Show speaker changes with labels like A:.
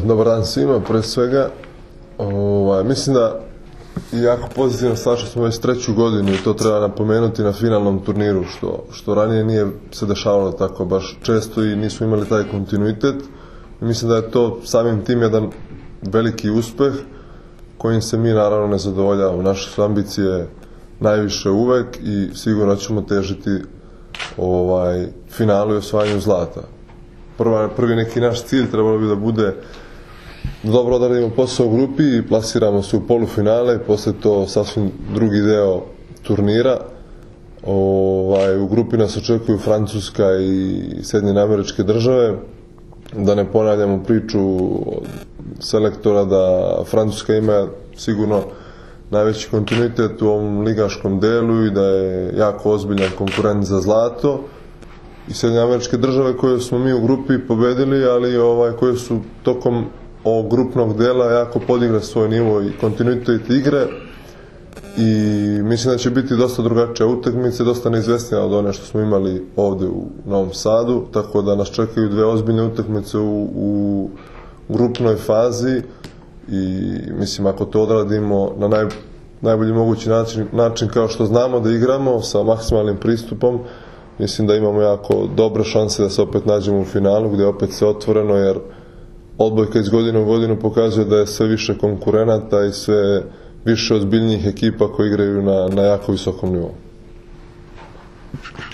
A: Dobar dan svima, pre svega. Mislim da je jako pozitivno stvar što smo već treću godinu i to treba napomenuti na finalnom turniru, što ranije nije se dešavalo tako baš često i nismo imali taj kontinuitet. I mislim da je to samim tim jedan veliki uspeh kojim se mi naravno ne zadovoljavamo. Naše su ambicije najviše uvek i sigurno ćemo težiti finalu i osvajanju zlata. Prvi neki naš cilj trebalo bi da bude da dobro odradimo posao u grupi i plasiramo se u polufinale, posle to sasvim drugi deo turnira. U grupi nas očekuju Francuska i Sjedinjene Američke Države. Da ne ponavljamo priču selektora da Francuska ima sigurno najveći kontinuitet u ovom ligaškom delu i da je jako ozbiljan konkurent za zlato. I Sjedinjene Američke Države koje smo mi u grupi pobedili, ali koje su tokom ovog grupnog dela jako podigle svoj nivo i kontinuitet igre i mislim da će biti dosta drugačija utakmica, dosta neizvesnija od one što smo imali ovde u Novom Sadu, tako da nas čekaju dve ozbiljne utakmice u grupnoj fazi i mislim ako to odradimo na najbolji mogući način kao što znamo da igramo sa maksimalnim pristupom, mislim da imamo jako dobre šanse da se opet nađemo u finalu gde je opet sve otvoreno, jer odbojka iz godine u godinu pokazuje da je sve više konkurenata i sve više ozbiljnijih ekipa koji igraju na jako visokom nivou.